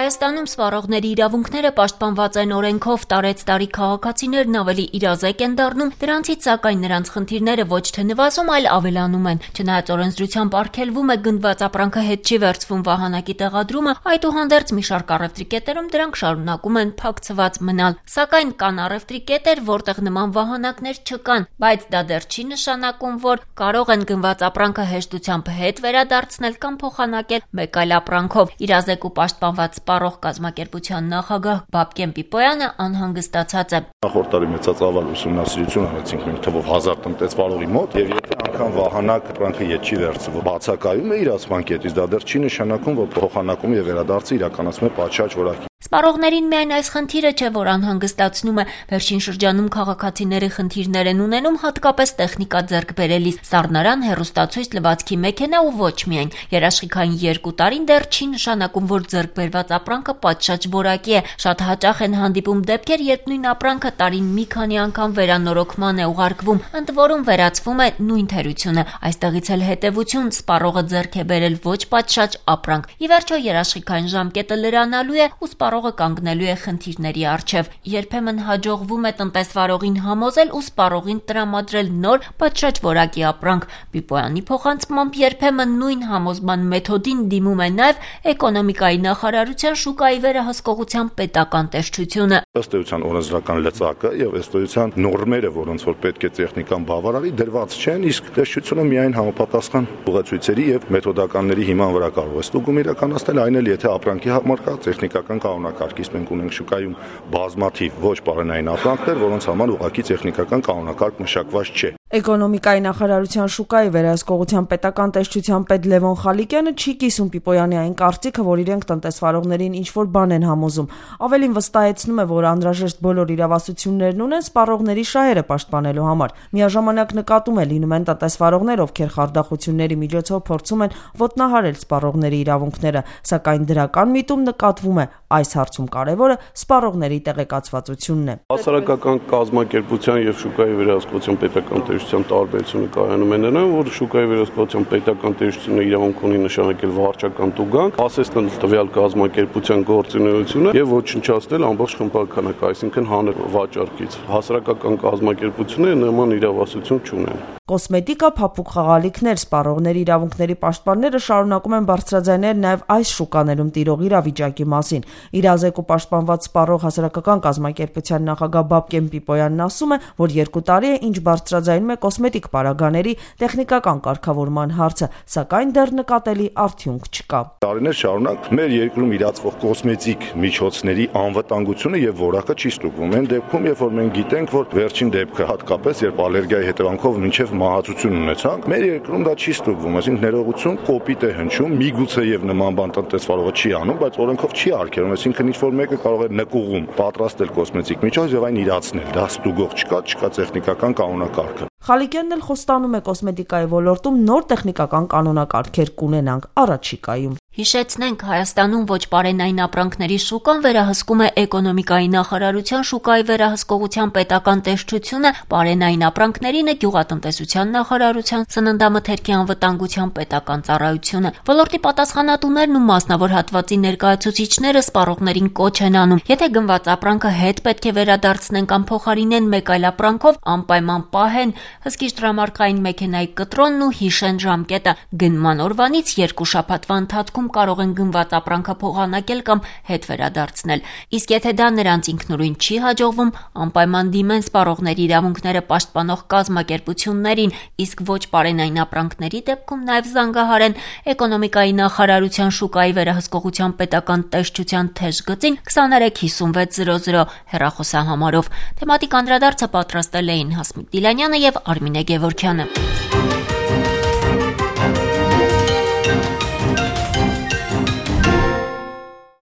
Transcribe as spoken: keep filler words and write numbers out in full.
Հայաստանում սպառողների իրավունքները պաշտպանված են օրենքով, տարեց տարի քաղաքացիներն ավելի իրազեկ են դառնում, դրանցից սակայն նրանց խնդիրները ոչ թե նվազում, այլ ավելանում են։ Չնայած օրենսդրությամբ արգելվում է գնված ապրանքը հետ չի վերցվում վահանակի տեղադրումը, այդուհանդերձ մի շարք առևտրի կետերում դրանք շարունակում են փակցված մնալ։ Սակայն կան առևտրի կետեր, որտեղ նման վահանակներ չկան, բայց դա դեռ չի նշանակում, որ կարող են գնված ապրանքը հեշտությամբ հետ վերադարձնել կամ փոխանակել մեկ այլ ապրանքով։ Իրազեկ ու պաշտպանված սպառող կազմակերպության նախագահ Բաբկեն Պիպոյանը անհանգստացած է։ Նախորդ տարի մեծածավալ ուսումնասիրություն արեցինք մենք թվով հազար տնտեսվարողի մոտ, եւ եթե անգամ վահանակ ապրանքը հետ չի վերցվում, բացակայում է իրացման կետից, դա դեռ չի նշանակում, որ փոխանակում եւ վերադարձը իրականացում է պատշաճ որակի։ Սպառողներին միայն այս խնդիրը չէ, որ անհանգստացնում է։ Վերջին շրջանում քաղաքացիների խնդիրներ են ունենում հատկապես տեխնիկա ձեռք բերելիս, սառնարան, հեռուստացույց, լվացքի մեքենա ու ոչ միայն։ Երաշխիքային երկու տարին դեռ չի նշանակում, որ ձեռք բերված ապրանքը պատշաճ որակի է։ Շատ հաճախ են հանդիպում դեպքեր, երբ նույն ապրանքը տարին մի քանի անգամ վերանորոգման է ուղարկվում, ընդ որում վերացվում է նույն թերությունը։ Այստեղից էլ հետևություն սպառողը ձեռք է բերել ոչ պատշաճ ապրանք։ Ի վերջո երաշխիքային ժամկետը լրանալու է ու սպառողը կանգնելու է խնդիրների առջև։ Երբեմն հաջողվում է տնտեսվարողին համոզել ու սպառողին տրամադրել նոր պատշաճ որակի ապրանք։ Պիպոյանի փոխանցմամբ երբեմն նույն համոզման մեթոդին դիմում է նաև էկոնոմիկայի նախարարության շուկայի վերահսկողության պետական տեսչությունը։ Ըստ էության օրենսդրական լծակը եւ ըստ էության նորմերը, որոնց որ պետք է տեխնիկան բավարարի, դրված չեն, իսկ տեսչությունը միայն համապատասխան ուղեցույցերի եւ մեթոդականների հիման վրա կարող է ստուգում իրականացնել, այն էլ եթե ապրանքի համար կա տեխնիկական կանոնակարգից մենք ունենք շուկայում բազմաթիվ ոչ պարենային ապրանքներ, որոնց համար ուղղակի տեխնիկական կանոնակարգ մշակված չէ։ Էկոնոմիկայի նախարարության շուկայի վերահսկողության պետական տեսչության պետ Լևոն Խալիկյանը չի կիսում Պիպոյանի այն կարծիքը, որ իրենք տնտեսվարողներին ինչ-որ բան են համոզում։ Ավելին վստահեցնում է, որ անհրաժեշտ բոլոր իրավասություններն ունեն սպառողների շահերը պաշտպանելու համար։ Միաժամանակ նկատում է լինում են տնտեսվարողներ, ովքեր խարդախությունների միջոցով փորձում են ոտնահարել սպառողների իրավունքները, սակայն դրական միտում նկատվում է այս հարցում կարևորը սպառողների տեղեկացվածությունն է։ Հասարակական կազմակերպության եւ շուկայի վերահսկողության պետական տեսչության տարբերությունը կայանում է նրան, որ շուկայի վերահսկողության պետական տեսչությունը իրավունք ունի նշանակել վարչական տուգանք, ասել տվյալ կազմակերպության գործունեությունը եւ ոչնչացնել ամբողջ խմբականակը, այսինքն հանր վաճառքից։ Հասարակական կազմակերպությունները նման իրավասություն չունեն։ Կոսմետիկա, փափուկ խաղալիքներ, սպառողների իրավունքների պաշտպանները շարունակում են բարձրաձայնել նաև այս շուկաներում տիրող իրավիճակի մասին։ Իրազեկ ու պաշտպանված սպառող հասարակական կազմակերպության նախագահ Բաբկեն Պիպոյանն ասում է, որ երկու տարի է ինչ բարձրաձայնում է կոսմետիկ պարագաների տեխնիկական կարգավորման հարցը, սակայն դեռ նկատելի արդյունք չկա։ Տարիներ շարունակ մեր երկրում իրացվող կոսմետիկ միջոցների անվտանգությունը եւ որակը չի ստուգվում։ Այն դեպքում, երբ որ մենք գիտենք, որ վերջին դեպքը հատկապես երբ ալերգիայի հետևանքով մինչեւ մահացություն ունեցանք, մեր երկրում դա չի ստուգվում, այսինքն ներողություն կոպիտ է հնչում, միգուցե եւ նման բան տնտեսվարողը չի անում, բայց օրենքով չի արգելում, այսինքն ինչ որ մեկը կարող է նկուղում պատրաստել կոսմետիկ միջոց եւ այն իրացնել, դա ստուգող չկա, չկա տեխնիկական կանոնակարգը։ Խալիկյանն էլ խոստանում է կոսմետիկայի ոլորտում նոր տեխնիկական կանոնակարգեր կունենանք առաջիկայում։ Հիշեցնենք, Հայաստանում ոչ պարենային ապրանքների շուկան վերահսկում է էկոնոմիկայի նախարարության շուկայի վերահսկողության պետական տեսչությունը, պարենային ապրանքներին է գյուղատնտեսության նախարարության սննդամթերքի անվտանգության պետական ծառայությունը։ Ոլորտի պատասխանատուներն ու մասնավոր հատվածի ներկայացուցիչները սպառողներին կոչ են անում, եթե գնված ապրանքը հետ պետք է վերադարձնեն կամ փոխարինեն մեկ այլ ապրանքով, անպայման պահեն հսկիչ տրամարկային մեքենայի կտրոնն ու հիշեն ժամկետը։ Գնման օրվանից երկու շաբաթվա ընթացքում կարող են գնված ապրանքը փոխանակել կամ հետ վերադարձնել։ Իսկ եթե դա նրանց ինքնուրույն չի հաջողվում, անպայման դիմեն սպառողների իրավունքները պաշտպանող կազմակերպություններին, իսկ ոչ պարենային ապրանքների դեպքում նաև զանգահարեն էկոնոմիկայի նախարարության շուկայի վերահսկողության պետական տեսչության թեժ գծին քսաներեք հիսունվեց զրո զրո հեռախոսահամարով։ Թեմատիկ անդրադարձը պատրաստել էին Հասմիկ Դիլանյանը եւ Արմինե Գևորգյանը։